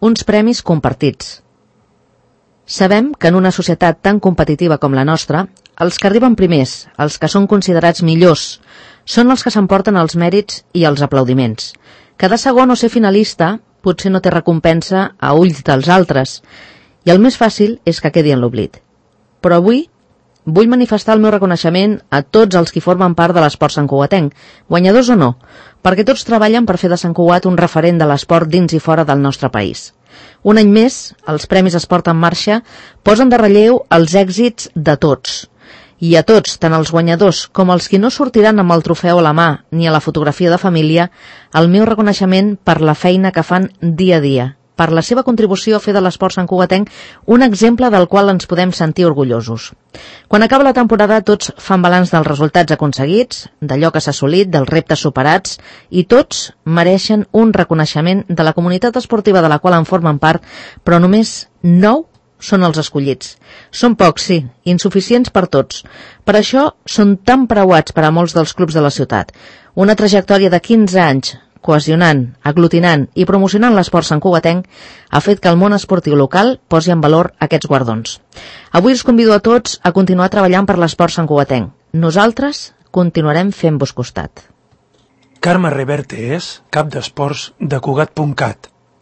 uns premis compartits. Sabem que en una societat tan competitiva com la nostra, els que arriben primers, els que són considerats millors, són els que s'emporten els mèrits i els aplaudiments. Cada segon o ser finalista potser no té recompensa a ulls dels altres, i el més fàcil és que quedi en l'oblit. Però avui vull manifestar el meu reconeixement a tots els que formen part de l'esport santcugatenc, guanyadors o no, perquè tots treballen per fer de Sant Cugat un referent de l'esport dins i fora del nostre país. Un any més, els Premis Esport en Marxa posen de relleu els èxits de tots. I a tots, tant els guanyadors com els que no sortiran amb el trofeu a la mà ni a la fotografia de família, el meu reconeixement per la feina que fan dia a dia, per la seva contribució a fer de l'esport santcugatenc un exemple del qual ens podem sentir orgullosos. Quan acaba la temporada tots fan balanç dels resultats aconseguits, d'allò que s'ha assolit, dels reptes superats, i tots mereixen un reconeixement de la comunitat esportiva de la qual en formen part, però només 9 són els escollits. Són pocs, sí, insuficients per tots. Per això són tan preuats per a molts dels clubs de la ciutat. Una trajectòria de 15 anys, cohesionant, aglutinant i promocionant l'esport santcugatenc ha fet que el món esportiu local posi en valor aquests guardons. Avui us convido a tots a continuar treballant per l'esport santcugatenc. Nosaltres continuarem fent-vos costat. Carme Reverte és cap d'esports de Cugat.cat.